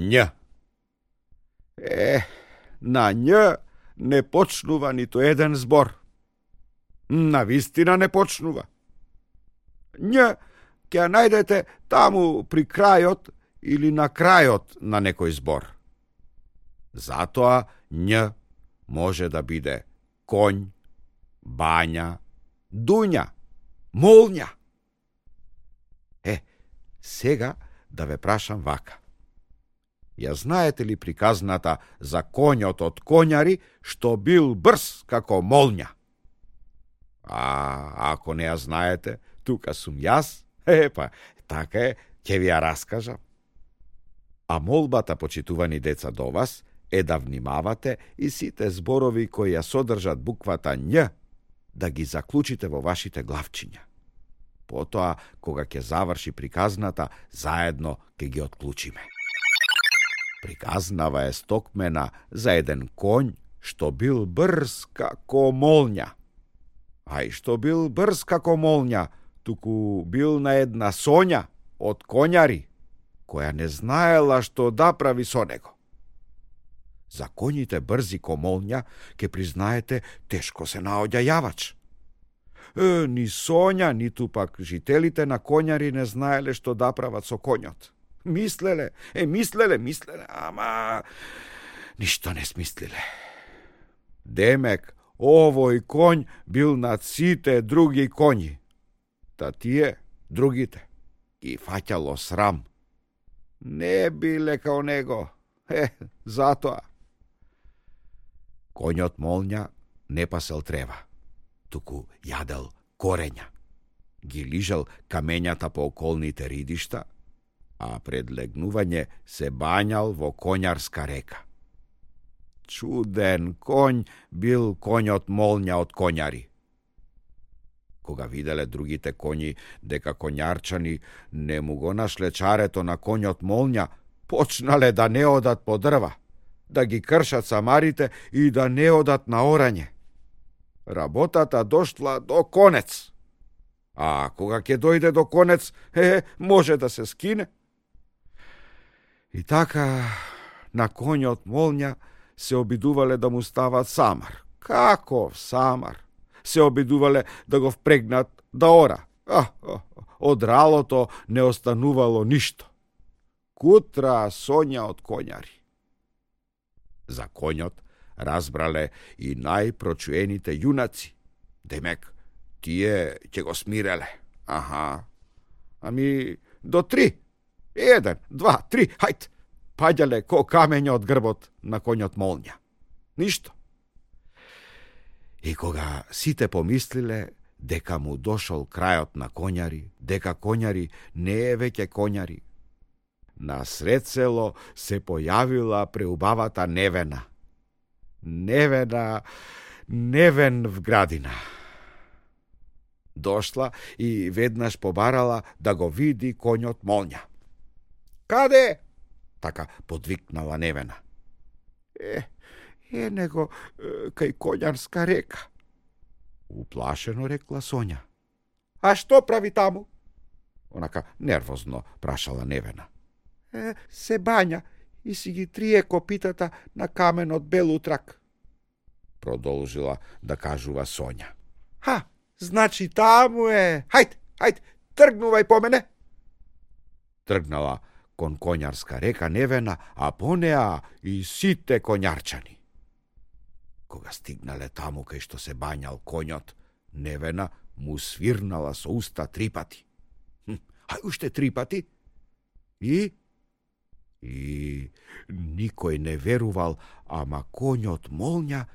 Њ. На њ не почнува ниту еден збор. Навистина не почнува. Њ ќе ја најдете таму при крајот или на крајот на некој збор. Затоа њ може да биде коњ, бања, дуња, молња. Сега да ве прашам вака. Ја знаете ли приказната за коњот од коњари што бил брз како молња? Ако не ја знаете, тука сум јас, така е, ќе ви ја раскажам. А молбата, почитувани деца, до вас е да внимавате и сите зборови кои ја содржат буквата њ да ги заклучите во вашите главчиња. Потоа, кога ќе заврши приказната, заедно ќе ги отклучиме. Приказнава е стокмена за еден коњ што бил брз како молња. А и што бил брз како молња, туку бил на една Сонја од коњари, која не знаела што да прави со него. За коњите брзи ко молња, ке признаете, тешко се наоѓа јавач. Ни Сонја, ниту пак жителите на коњари не знаеле што да прават со коњот. Мислеле, ама ништо не смислиле. Демек, овој коњ бил над сите други коњи. Та тие, другите, ги фаќало срам. Не биле као него, затоа. Коњот молња не пасел трева, туку јадел корења. Ги лижал камењата по околните ридишта, а пред легнување се бањал во коњарска река. Чуден коњ бил коњот молња од коњари. Кога виделе другите коњи дека коњарчани не му го нашле чарето на коњот молња, почнале да не одат по дрва, да ги кршат самарите и да не одат на орање. Работата дошла до конец. А кога ќе дојде до конец, може да се скине. И така, на коњот молња се обидувале да му стават самар. Каков самар? Се обидувале да го впрегнат да ора. Од ралото не останувало ништо. Кутра Сонја од коњари. За коњот разбрале и најпрочуените јунаци. Демек, тие ќе го смиреле. Ами, до 3. 1, 2, 3, хајт! Паѓале ко камења од грбот на коњот молња. Ништо. И кога сите помислиле дека му дошол крајот на коњари, дека коњари не е веќе коњари, на сред село се појавила преубавата Невена. Невен в градина. Дошла и веднаш побарала да го види коњот молња. Каде? Така подвикнала Невена. Него кај коњарска река. Уплашено рекла Сонја. А што прави таму? Онака нервозно прашала Невена. Се бања и си ги трие копитата на каменот бел утрак. Продолжила да кажува Сонја. Значи таму е. Хајд, тргнувај по мене. Тргнала кон коњарска река Невена, а по неа и сите коњарчани. Кога стигнале таму кај што се бањал коњот, Невена му свирнала со уста 3 пати. Уште 3 пати? И никој не верувал, ама коњот молња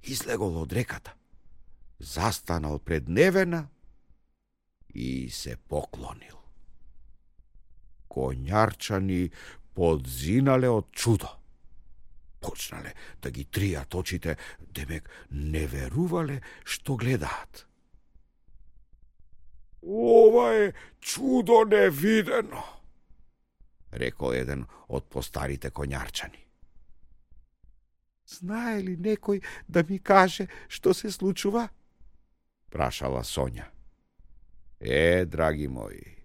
излегол од реката. Застанал пред Невена и се поклонил. Коњарчани подзинале од чудо. Почнале да ги тријат очите, демек не верувале што гледаат. Ова е чудо невидено, рекол еден од постарите коњарчани. Знае ли некој да ми каже што се случува? Прашала Сонја. Драги мои,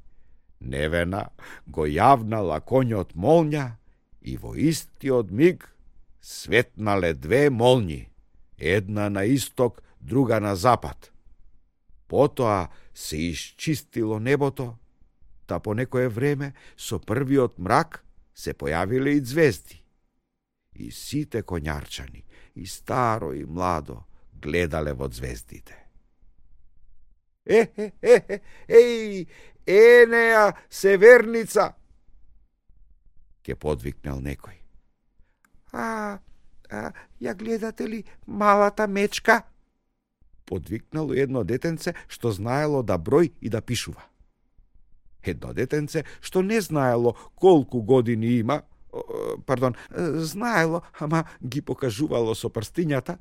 Невена го јавнала коњот молња и во истиот миг светнале две молњи, една на исток, друга на запад. Потоа се исчистило небото, та по некое време со првиот мрак се појавиле и звезди. И сите коњарчани, и старо и младо, гледале во звездите. Еј, Енеја, северница! Ке подвикнал некој. Ја гледате ли малата мечка? Подвикнало едно детенце што знаело да број и да пишува. Едно детенце што не знаело колку години има, знаело, ама ги покажувало со прстињата,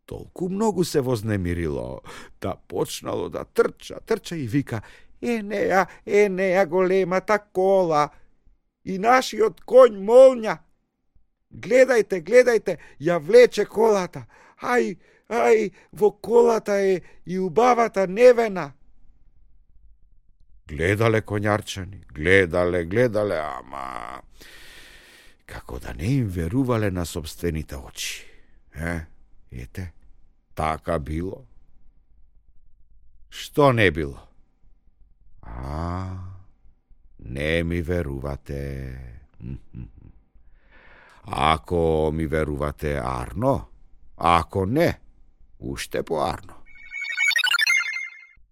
толку многу се вознемирило, да почнало да трча и вика: Енеја, големата кола, и нашиот конј молња. Гледајте, ја влече колата. Ај, во колата е и убавата Невена. Гледале коњарчани, гледале, ама како да не им верувале на собствените очи. Ете, така било. Што не било? Не ми верувате. Ако ми верувате арно, ако не, уште поарно.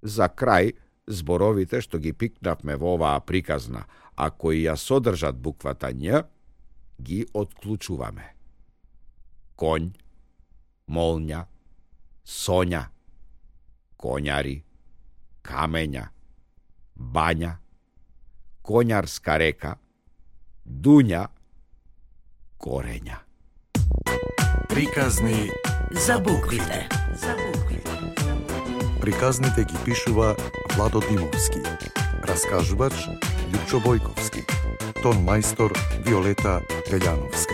За крај, зборовите што ги пикнавме во оваа приказна, а кои ја содржат буквата Њ, ги отклучуваме. Конј, молња, соња, коњари, камења, бања, коњарска река, дуња, корења. Приказни за буквите. Приказните ги пишува Владо Димовски. Раскажувач Лјупчо Бојковски. Тон мајстор Виолета Пељановска.